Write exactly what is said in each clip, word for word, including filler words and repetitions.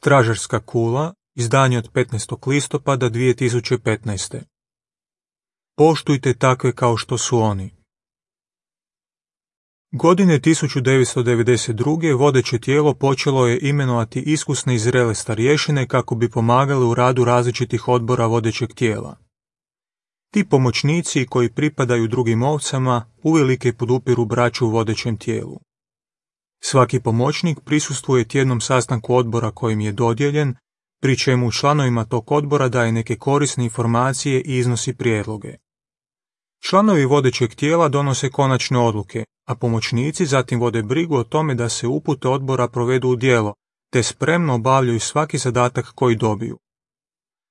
Stražarska kula, izdanje od petnaestog listopada dvije tisuće petnaeste. Poštujte takve kao što su oni. Godine tisuću devetsto devedeset druge. vodeće tijelo počelo je imenovati iskusne i zrele starješine kako bi pomagali u radu različitih odbora vodećeg tijela. Ti pomoćnici koji pripadaju drugim ovcama uvelike podupiru braću u vodećem tijelu. Svaki pomoćnik prisustvuje tjednom sastanku odbora kojim je dodijeljen, pri čemu članovima tog odbora daje neke korisne informacije i iznosi prijedloge. Članovi vodećeg tijela donose konačne odluke, a pomoćnici zatim vode brigu o tome da se upute odbora provedu u djelo, te spremno obavljaju svaki zadatak koji dobiju.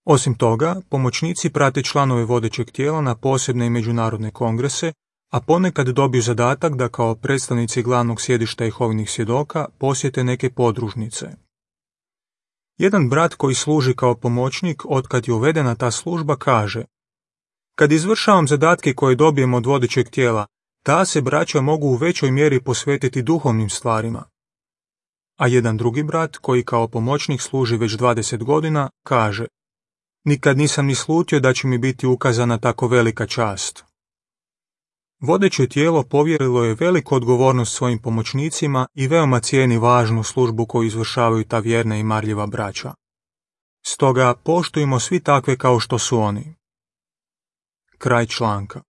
Osim toga, pomoćnici prate članove vodećeg tijela na posebne i međunarodne kongrese, a ponekad dobiju zadatak da kao predstavnici glavnog sjedišta Jehovinih svjedoka posjete neke podružnice. Jedan brat koji služi kao pomoćnik otkad je uvedena ta služba kaže: kad izvršavam zadatke koje dobijem od vodećeg tijela, ta se braća mogu u većoj mjeri posvetiti duhovnim stvarima. A jedan drugi brat koji kao pomoćnik služi već dvadeset godina kaže: nikad nisam ni slutio da će mi biti ukazana tako velika čast. Vodeće tijelo povjerilo je veliku odgovornost svojim pomoćnicima i veoma cijeni važnu službu koju izvršavaju ta vjerna i marljiva braća. Stoga poštujmo svi takve kao što su oni. Kraj članka.